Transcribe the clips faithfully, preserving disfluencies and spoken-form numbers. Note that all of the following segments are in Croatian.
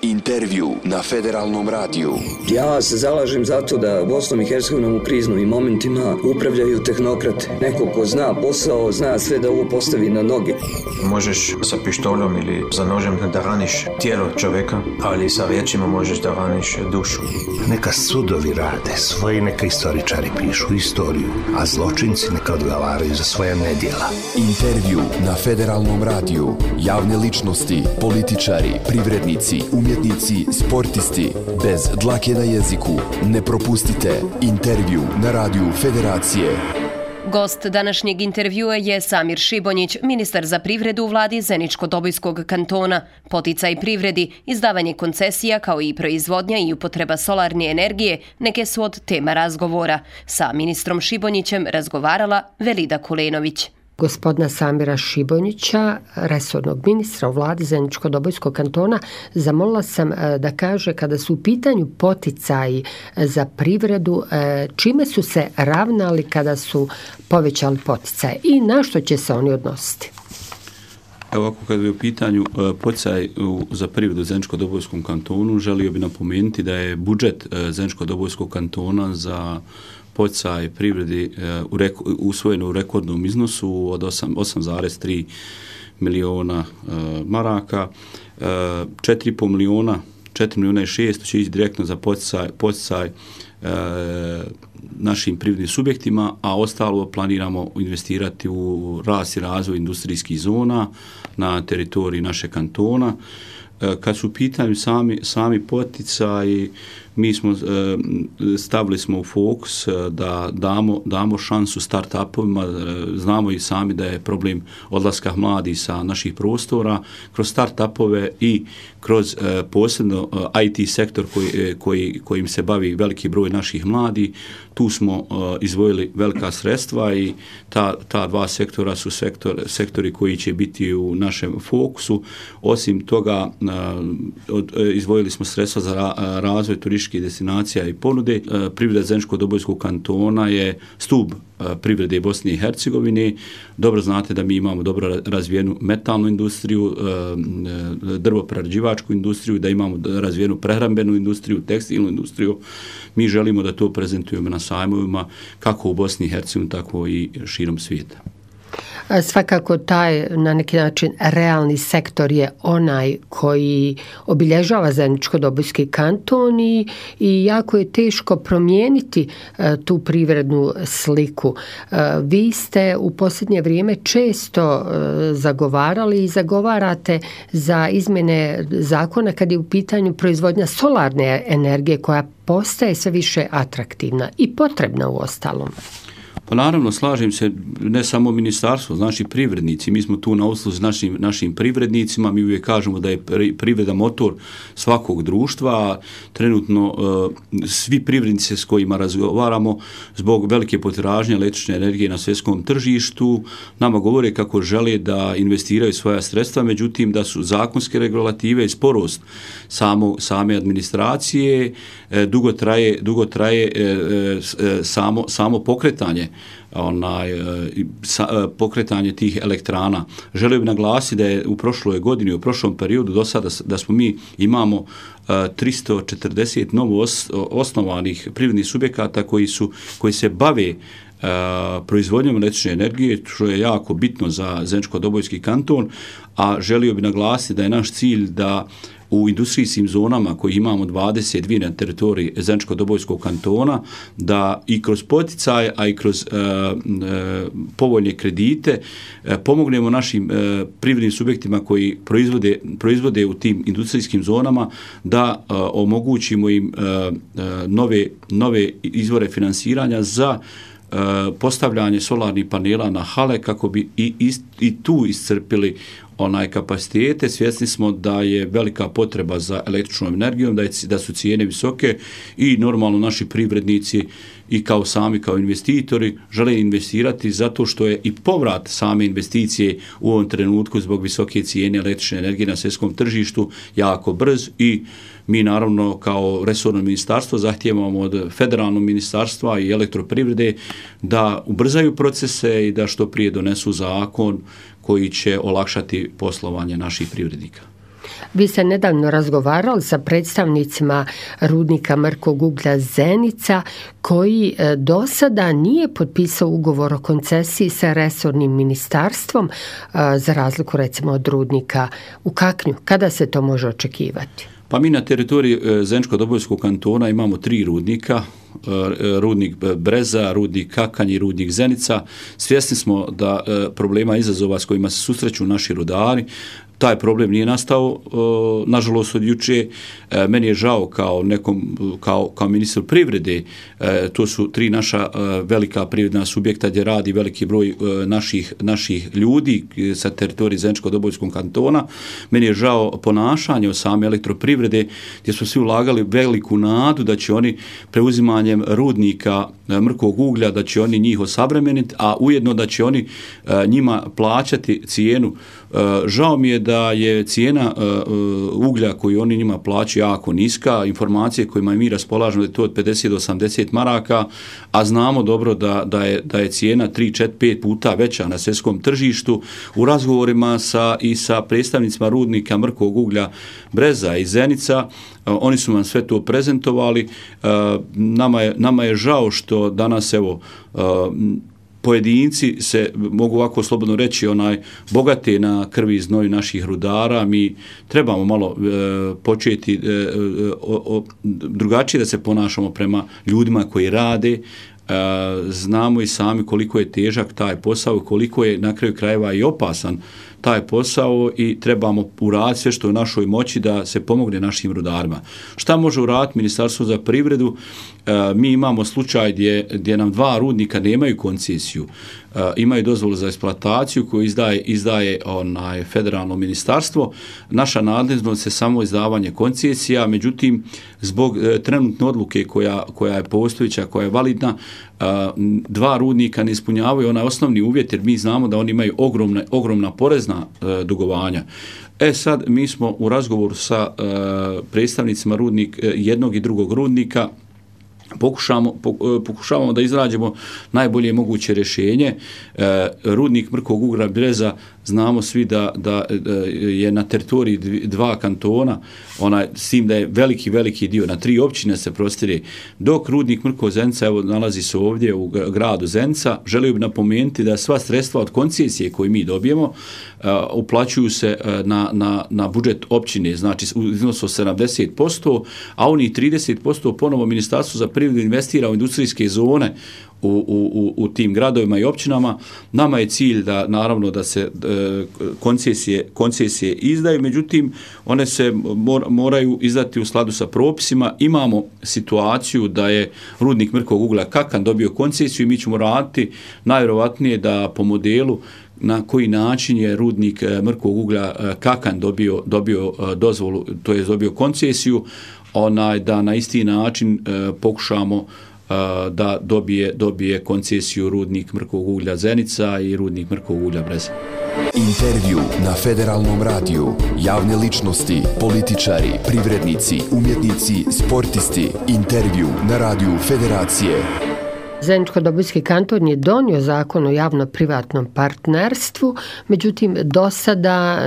Intervju na Federalnom radiju. Ja se zalažem za to da Bosnom i Hercegovinom u kriznim momentima upravljaju tehnokrate. Neko ko zna posao, zna sve da ovo postavi na noge. Možeš sa pištoljom ili za nožem da raniš tijelo čovjeka, ali sa riječima možeš da raniš dušu. Neka sudovi rade svoje, neka istoričari pišu istoriju, a zločinci neka odgovaraju za svoja nedjela. Intervju na Federalnom radiju. Javne ličnosti, političari, privrednici, umjetnici, sportisti. Bez dlake na jeziku. Ne propustite Intervju na radiju Federacije. Gost današnjeg intervjua je Samir Šibonjić, ministar za privredu u vladi Zeničko-Dobojskog kantona. Poticaj privredi, izdavanje koncesija kao i proizvodnja i upotreba solarne energije neke su od tema razgovora. Sa ministrom Šibonjićem razgovarala Velida Kulenović. Gospodina Samira Šibonjića, resornog ministra u vladi Zeničko-Dobojskog kantona, zamolila sam da kaže kada su u pitanju poticaji za privredu, čime su se ravnali kada su povećali poticaje i na što će se oni odnositi? Evo ovako, kada je u pitanju poticaj za privredu u Zeničko-Dobojskom kantonu, želio bi napomenuti da je budžet Zeničko-Dobojskog kantona za poticaj privredi uh, reko, usvojeno u rekordnom iznosu od osam zarez tri miliona uh, maraka, uh, četiri i pol miliona, četiri miliona i šesto će ići direktno za poticaj, poticaj uh, našim privrednim subjektima, a ostalo planiramo investirati u rast i razvoj industrijskih zona na teritoriji naše kantona. Uh, kad su u pitanju sami, sami poticaji, mi smo stavili smo u fokus da damo, damo šansu start-upovima. Znamo i sami da je problem odlaska mladih sa naših prostora. Kroz start-upove i kroz posebno I T sektor koji, koji, kojim se bavi veliki broj naših mladih, tu smo izdvojili velika sredstva i ta, ta dva sektora su sektor, sektori koji će biti u našem fokusu. Osim toga, izdvojili smo sredstva za razvoj turističkih destinacija i ponude. Privreda Zeničko-Dobojskog kantona je stup privrede Bosne i Hercegovine. Dobro znate da mi imamo dobro razvijenu metalnu industriju, drvoprerađivačku industriju, da imamo razvijenu prehrambenu industriju, tekstilnu industriju. Mi želimo da to prezentujemo na sajmovima kako u Bosni i Hercegovini, tako i širom svijeta. Svakako taj na neki način realni sektor je onaj koji obilježava Zeničko-Dobojski kanton i, i jako je teško promijeniti uh, tu privrednu sliku. Uh, vi ste u posljednje vrijeme često uh, zagovarali i zagovarate za izmjene zakona kad je u pitanju proizvodnja solarne energije koja postaje sve više atraktivna i potrebna u ostalom. Pa naravno, slažem se, ne samo ministarstvo, znači privrednici, mi smo tu na usluzi našim, našim privrednicima, mi uvijek kažemo da je privreda motor svakog društva, trenutno uh, svi privrednici s kojima razgovaramo zbog velike potražnje električne energije na svjetskom tržištu nama govore kako žele da investiraju svoja sredstva, međutim da su zakonske regulative i sporost samo, same administracije, eh, dugo traje, dugo traje eh, eh, samo, samo pokretanje onaj sa, pokretanje tih elektrana. Želio bih naglasiti da je u prošloj godini, u prošlom periodu do sada da smo mi imamo uh, tristo četrdeset novo os, osnovanih privrednih subjekata koji su koji se bave uh, proizvodnjom električne energije, što je jako bitno za Zeničko-Dobojski kanton, a želio bih naglasiti da je naš cilj da u industrijskim zonama koji imamo dvadeset dvije na teritoriji Zeničko-Dobojskog kantona, da i kroz poticaj, a i kroz uh, uh, povoljne kredite uh, pomognemo našim uh, privrednim subjektima koji proizvode, proizvode u tim industrijskim zonama, da uh, omogućimo im uh, uh, nove, nove izvore finansiranja za uh, postavljanje solarnih panela na hale kako bi i, i, i tu iscrpili onaj kapacitete. Svjesni smo da je velika potreba za električnom energijom, da, je, da su cijene visoke i normalno naši privrednici i kao sami kao investitori žele investirati zato što je i povrat same investicije u ovom trenutku zbog visoke cijene električne energije na svjetskom tržištu jako brz i mi naravno kao resorno ministarstvo zahtijevamo od federalnog ministarstva i elektroprivrede da ubrzaju procese i da što prije donesu zakon koji će olakšati poslovanje naših privrednika. Vi ste nedavno razgovarali sa predstavnicima rudnika mrkog uglja Zenica koji do sada nije potpisao ugovor o koncesiji sa resornim ministarstvom za razliku recimo od rudnika u Kaknju. Kada se to može očekivati? Pa mi na teritoriji Zeničko-Dobojskog kantona imamo tri rudnika, rudnik Breza, rudnik Kakanj i rudnik Zenica. Svjesni smo da problema i izazova s kojima se susreću naši rudari, taj problem nije nastao, nažalost, od juče. Meni je žao kao nekom, kao, kao ministar privrede, to su tri naša velika privredna subjekta gdje radi veliki broj naših, naših ljudi sa teritorije Zeničko-Dobojskog kantona. Meni je žao ponašanje od same elektroprivrede gdje su svi ulagali veliku nadu da će oni preuzimanjem rudnika mrkog uglja, da će oni njih osavremeniti, a ujedno da će oni njima plaćati cijenu. Žao mi je da je cijena uglja koju oni njima plaćaju jako niska, informacije kojima mi raspolažemo da je to od pedeset do osamdeset maraka, a znamo dobro da, da, je, da je cijena tri, četiri, pet puta veća na svjetskom tržištu. U razgovorima sa, i sa predstavnicima rudnika mrkog uglja Breza i Zenica, oni su vam sve to prezentovali. Nama je, nama je žao što danas evo pojedinci se, mogu ovako slobodno reći, onaj bogate na krvi i znoju naših rudara. Mi trebamo malo e, početi e, o, o, drugačije da se ponašamo prema ljudima koji rade. E, znamo i sami koliko je težak taj posao i koliko je na kraju krajeva i opasan taj posao i trebamo uraditi sve što je u našoj moći da se pomogne našim rudarima. Šta može uraditi Ministarstvo za privredu? E, mi imamo slučaj gdje, gdje nam dva rudnika nemaju koncesiju. E, imaju dozvolu za eksploataciju koju izdaje, izdaje onaj federalno ministarstvo. Naša nadležnost je samo izdavanje koncesija, međutim, zbog e, trenutne odluke koja, koja je postojeća, koja je validna, e, dva rudnika ne ispunjavaju onaj osnovni uvjet, jer mi znamo da oni imaju ogromne, ogromna porezna e, dugovanja. E sad, mi smo u razgovoru sa e, predstavnicima rudnik, e, jednog i drugog rudnika Pokušamo, pokušavamo da izrađemo najbolje moguće rješenje. E, rudnik mrkog uglja Breza, znamo svi da, da, da je na teritoriji dva kantona, onaj, s tim da je veliki, veliki dio, na tri općine se prostire, dok rudnik mrkog Zenica, evo, nalazi se ovdje u gradu Zenica. Želio bih napomenuti da sva sredstva od koncesije koje mi dobijemo uh, uplaćuju se uh, na, na, na budžet općine, znači u iznosu sedamdeset posto, a oni trideset posto ponovo Ministarstvo za privredu investira u industrijske zone U, u, u tim gradovima i općinama. Nama je cilj da naravno da se e, koncesije, koncesije izdaju, međutim one se mor, moraju izdati u skladu sa propisima. Imamo situaciju da je rudnik mrkog uglja Kakanj dobio koncesiju i mi ćemo raditi najvjerovatnije da po modelu na koji način je rudnik mrkog uglja Kakanj dobio, dobio dozvolu, to je dobio koncesiju, onaj, da na isti način e, pokušamo da dobije, dobije koncesiju rudnik mrkog uglja Zenica i rudnik mrkog uglja Breza. Intervju na Federalnom radiju. Javne ličnosti, političari, privrednici, umjetnici, sportisti. Intervju na radiju Federacije. Zeničko-Dobojski kanton je donio zakon o javno-privatnom partnerstvu, međutim do sada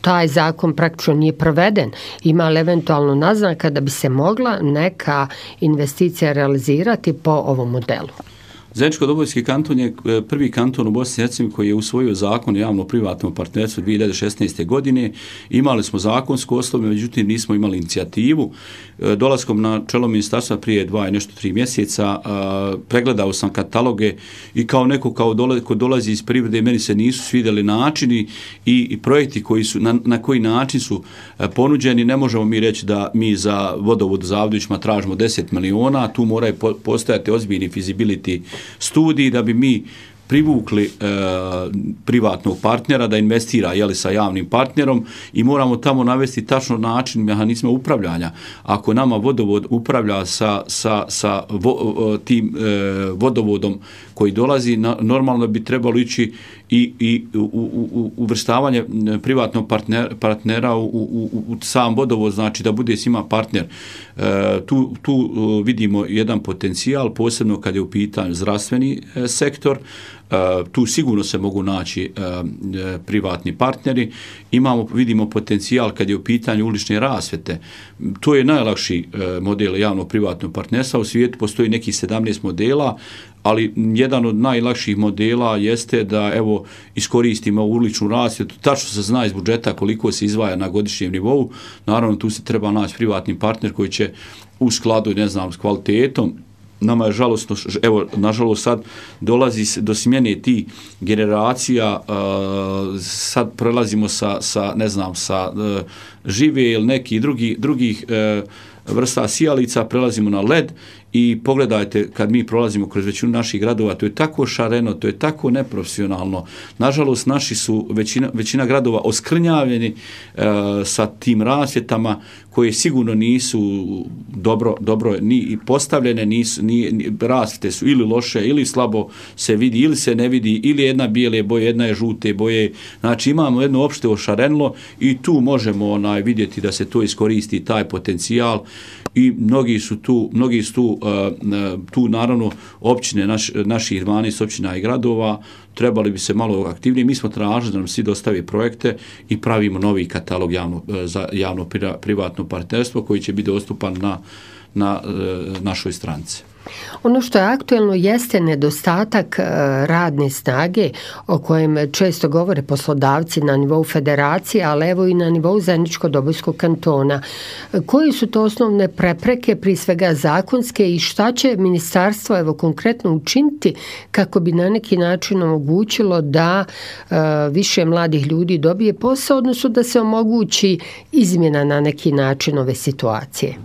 taj zakon praktično nije proveden. Ima li eventualno naznaka da bi se mogla neka investicija realizirati po ovom modelu? Zeničko-Dobojski kanton je prvi kanton u Bosni i Hercegovini koji je usvojio zakon o javno-privatnom partnerstvu dvije hiljade šesnaeste. godine. Imali smo zakonsku osnovu, međutim nismo imali inicijativu. Dolaskom na čelo ministarstva prije dva i nešto tri mjeseca pregledao sam kataloge i kao neko kao dolazi, ko dolazi iz privrede, meni se nisu svidjeli načini i, i projekti koji su, na, na koji način su ponuđeni. Ne možemo mi reći da mi za vodovod Zavdovićima tražimo deset miliona, tu moraju postojati ozbiljni feasibility studiji da bi mi privukli e, privatnog partnera da investira jeli, sa javnim partnerom i moramo tamo navesti tačno način mehanizma upravljanja. Ako nama vodovod upravlja sa, sa, sa vo, tim e, vodovodom koji dolazi, na, normalno bi trebalo ići i, i u, u, uvrstavanje privatnog partner, partnera u, u, u sam vodovod, znači da bude s njima partner. E, tu, tu vidimo jedan potencijal, posebno kad je u pitanju zdravstveni e, sektor. tu sigurno se mogu naći privatni partneri. Imamo, vidimo potencijal kad je u pitanju ulične rasvjete. To je najlakši model javno-privatnog partnerstva. U svijetu postoji nekih sedamnaest modela, ali jedan od najlakših modela jeste da evo iskoristimo uličnu rasvjetu, tačno se zna iz budžeta koliko se izdvaja na godišnjem nivou. Naravno tu se treba naći privatni partner koji će u skladu, ne znam, s kvalitetom. Nama je žalostno, evo, nažalost sad dolazi do smjene tih generacija, uh, sad prelazimo sa, sa, ne znam, sa uh, žive ili nekih drugi, drugih uh, vrsta sijalica, prelazimo na led i pogledajte kad mi prolazimo kroz većinu naših gradova, to je tako šareno, to je tako neprofesionalno. Nažalost, naši su većina, većina gradova oskrnjavljeni e, sa tim rasvjetama koje sigurno nisu dobro, dobro ni postavljene, nisu, ni, ni, rasvjete su ili loše, ili slabo se vidi, ili se ne vidi, ili jedna bijele boje, jedna je žute boje. Znači imamo jedno opšte ošarenilo i tu možemo onaj, vidjeti da se to iskoristi, taj potencijal. I mnogi su tu, mnogi su tu, tu naravno općine, naš, naših dvanaest općina i gradova, trebali bi se malo aktivnije. Mi smo tražili da nam svi dostavi projekte i pravimo novi katalog javno, za javno privatno partnerstvo koji će biti dostupan na, na našoj stranici. Ono što je aktuelno jeste nedostatak radne snage o kojem često govore poslodavci na nivou federacije, ali evo i na nivou Zeničko-Dobojskog kantona. Koje su to osnovne prepreke, prije svega zakonske, i šta će ministarstvo evo konkretno učiniti kako bi na neki način omogućilo da uh, više mladih ljudi dobije posao, odnosno da se omogući izmjena na neki način ove situacije?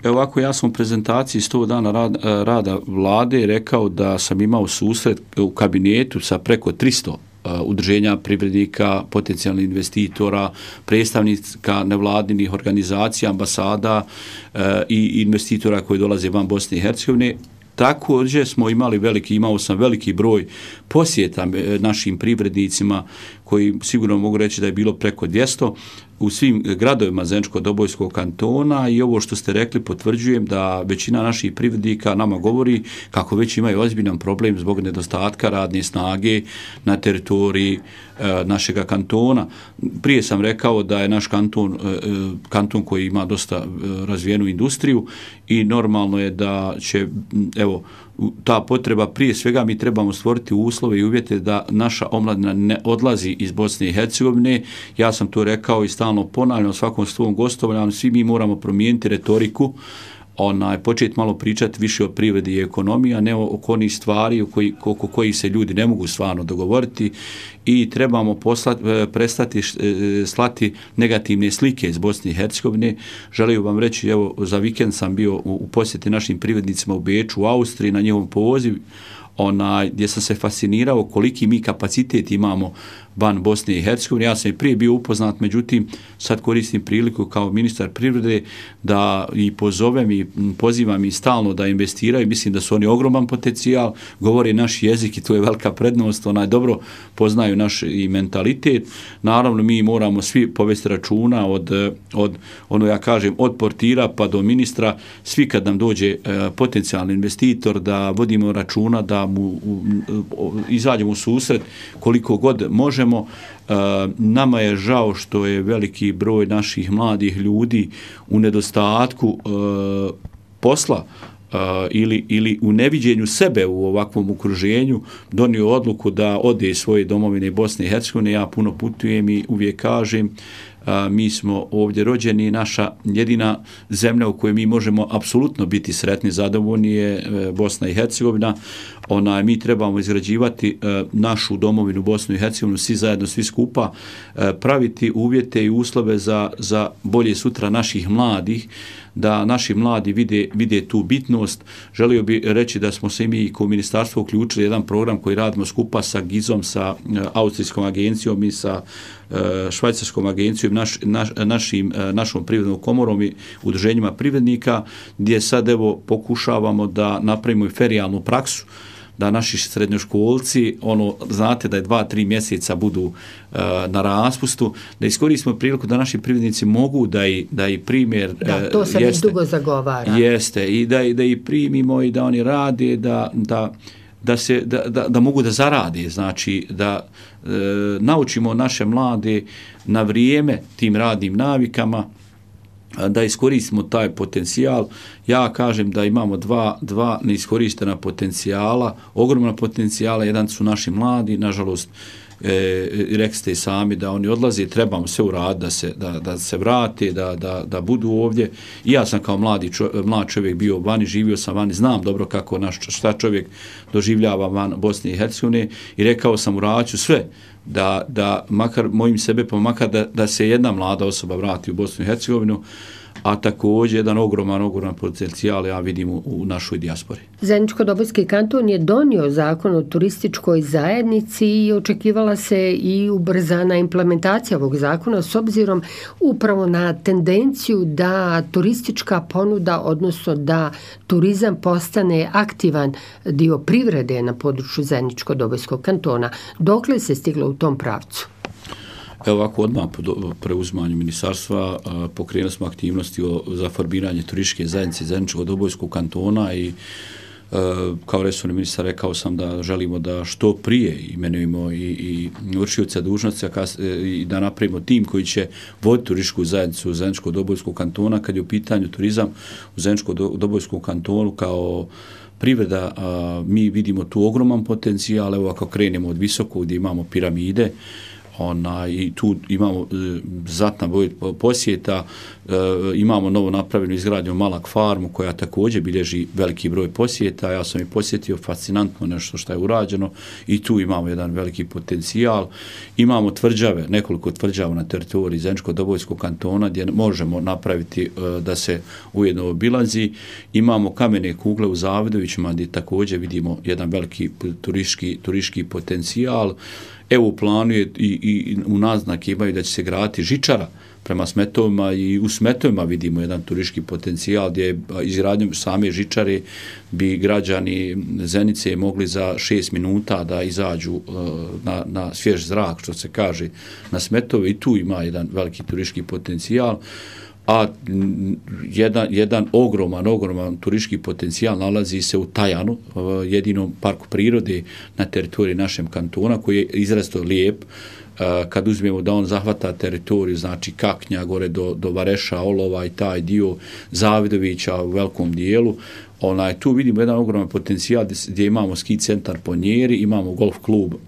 Evo ovako, ja sam u prezentaciji sto dana rada, rada vlade rekao da sam imao susret u kabinetu sa preko tristo uh, udruženja privrednika, potencijalnih investitora, predstavnika nevladinih organizacija, ambasada uh, i investitora koji dolaze van Bosne i Hercegovine. Također smo imali veliki, imao sam veliki broj posjeta našim privrednicima koji sigurno mogu reći da je bilo preko dvjesto u svim gradovima Zeničko-Dobojskog kantona i ovo što ste rekli potvrđujem da većina naših privrednika nama govori kako već imaju ozbiljan problem zbog nedostatka radne snage na teritoriji e, našega kantona. Prije sam rekao da je naš kanton, e, kanton koji ima dosta e, razvijenu industriju i normalno je da će, evo, ta potreba, prije svega mi trebamo stvoriti uslove i uvjete da naša omladina ne odlazi iz Bosne i Hercegovine. Ja sam to rekao i stalno ponavljam u svakom svom gostovanju, svi mi moramo promijeniti retoriku, onaj, početi malo pričati više o privredi i ekonomiji, a ne oko onih stvari koji, oko kojih se ljudi ne mogu stvarno dogovoriti i trebamo poslati, prestati slati negativne slike iz Bosne i Hercegovine. Želim vam reći, evo, za vikend sam bio u, u posjeti našim privrednicima u Beču, u Austriji, na njihov poziv, onaj, gdje sam se fascinirao koliki mi kapacitet imamo van Bosne i Hercegovine. Ja sam i prije bio upoznat, međutim, sad koristim priliku kao ministar privrede da i pozovem i pozivam i stalno da investiraju. Mislim da su oni ogroman potencijal, govore naš jezik i to je velika prednost, onaj, dobro poznaju naš i mentalitet. Naravno, mi moramo svi povesti računa od, od, ono ja kažem, od portira pa do ministra, svi kad nam dođe potencijalni investitor, da vodimo računa, da mu u, u, izađemo u susret koliko god možemo. Uh, nama je žao što je veliki broj naših mladih ljudi u nedostatku uh, posla uh, ili, ili u neviđenju sebe u ovakvom okruženju donio odluku da ode iz svoje domovine Bosne i Hercegovine. Ja puno putujem i uvijek kažem, a, mi smo ovdje rođeni, naša jedina zemlja u kojoj mi možemo apsolutno biti sretni, zadovoljni je e, Bosna i Hercegovina. Ona, mi trebamo izgrađivati e, našu domovinu Bosnu i Hercegovinu, svi zajedno, svi skupa, e, praviti uvjete i uslove za, za bolje sutra naših mladih, da naši mladi vide, vide tu bitnost. Želio bi reći da smo se mi kao ministarstvo uključili jedan program koji radimo skupa sa Gizom, sa e, austrijskom agencijom i sa e, švajcarskom agencijom, naš, naš, našim, e, našom privrednom komorom i udruženjima privrednika, gdje sad evo pokušavamo da napravimo i ferijalnu praksu, da naši srednjoškolci, ono, znate da je dva, tri mjeseca budu uh, na raspustu, da iskoristimo priliku da naši privrednici mogu da i, da i primjer... Da, to se već dugo zagovara. Jeste, i da, da i primimo i da oni rade, da, da da, se, da, da, da mogu da zarade, znači da e, naučimo naše mlade na vrijeme tim radnim navikama, da iskoristimo taj potencijal. Ja kažem da imamo dva, dva neiskorištena potencijala, ogromna potencijala, jedan su naši mladi, nažalost, e, rekli ste i sami da oni odlaze, trebamo sve uraditi da se, da, da se vrate, da, da, da budu ovdje. I ja sam kao mladi čo, mlad čovjek bio vani, živio sam vani, znam dobro kako naš, šta čovjek doživljava van Bosne i Hercegovine i rekao sam uraću sve da, da makar mojim sebe, pa makar da, da se jedna mlada osoba vrati u Bosnu i Hercegovinu, a također jedan ogroman, ogroman potencijal ja vidim u, u našoj dijaspori. Zeničko-Dobojski kanton je donio zakon o turističkoj zajednici i očekivala se i ubrzana implementacija ovog zakona s obzirom upravo na tendenciju da turistička ponuda, odnosno da turizam postane aktivan dio privrede na području Zeničko-Dobojskog kantona. Dokle se stiglo u tom pravcu? Evo ovako, odmah po preuzimanju ministarstva pokrenuli smo aktivnosti za formiranje turističke zajednice Zeničko-Dobojskog kantona i kao resorni ministar rekao sam da želimo da što prije imenujemo i, i vršioca dužnosti i da napravimo tim koji će voditi turističku zajednicu Zeničko-Dobojskog kantona kad je u pitanju turizam u Zeničko-Dobojskom kantonu kao privreda. Mi vidimo tu ogroman potencijal. Evo ako krenemo od visokog gdje imamo piramide, Ona, i tu imamo e, znatna broj posjeta, e, imamo novo napravljenu izgradnju Malak farmu koja također bilježi veliki broj posjeta. Ja sam i posjetio, fascinantno nešto što je urađeno i tu imamo jedan veliki potencijal. Imamo tvrđave, nekoliko tvrđava na teritoriji Zeničko-Dobojskog kantona gdje možemo napraviti e, da se ujedno obilazi. Imamo kamene kugle u Zavidovićima gdje također vidimo jedan veliki turistički, turistički potencijal. Evo u planu je i, i u naznake imaju da će se graditi žičara prema Smetovima i u Smetovima vidimo jedan turistički potencijal gdje izgradnjom same žičare bi građani Zenice mogli za šest minuta da izađu na, na svjež zrak, što se kaže, na Smetove i tu ima jedan veliki turistički potencijal. A jedan, jedan ogroman, ogroman turistički potencijal nalazi se u Tajanu, jedinom parku prirode na teritoriji našem kantona, koji je izrazito lijep. Kad uzmemo da on zahvata teritoriju, znači Kaknja, gore do, do Vareša, Olova i taj dio Zavidovića u velikom dijelu, onaj, tu vidimo jedan ogroman potencijal gdje, gdje imamo ski centar Ponjeri, imamo golf klub uh,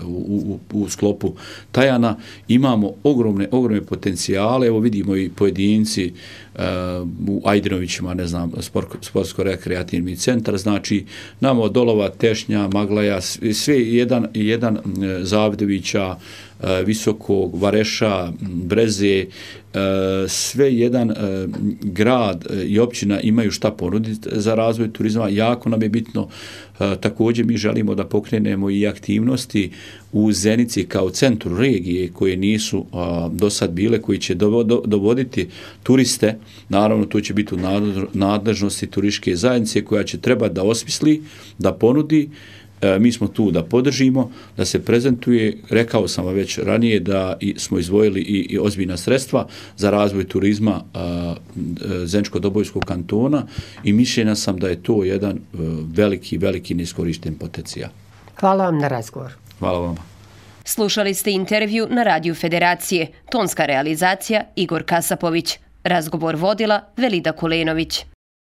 u, u, u sklopu Tajana, imamo ogromne, ogromne potencijale. Evo vidimo i pojedinci uh, u Ajdinovićima, ne znam, sport, sportsko-rekreativni centar, znači namo od Olova, Tešnja, Maglaja, sve jedan, jedan uh, Zavidovića, uh, Visokog, Vareša, Breze, sve jedan grad i općina imaju šta ponuditi za razvoj turizma. Jako nam je bitno, također mi želimo da pokrenemo i aktivnosti u Zenici kao centru regije koje nisu do sad bile, koji će dovoditi turiste. Naravno, to će biti u nadležnosti turističke zajednice koja će trebati da osmisli, da ponudi. Mi smo tu da podržimo, da se prezentuje. Rekao sam vam već ranije da smo izdvojili i, i ozbiljna sredstva za razvoj turizma Zeničko-Dobojskog kantona i mišljenja sam da je to jedan veliki, veliki neiskorišten potencijal. Hvala vam na razgovor. Hvala vam. Slušali ste intervju na Radiju Federacije. Tonska realizacija Igor Kasapović. Razgovor vodila Velida Kulenović.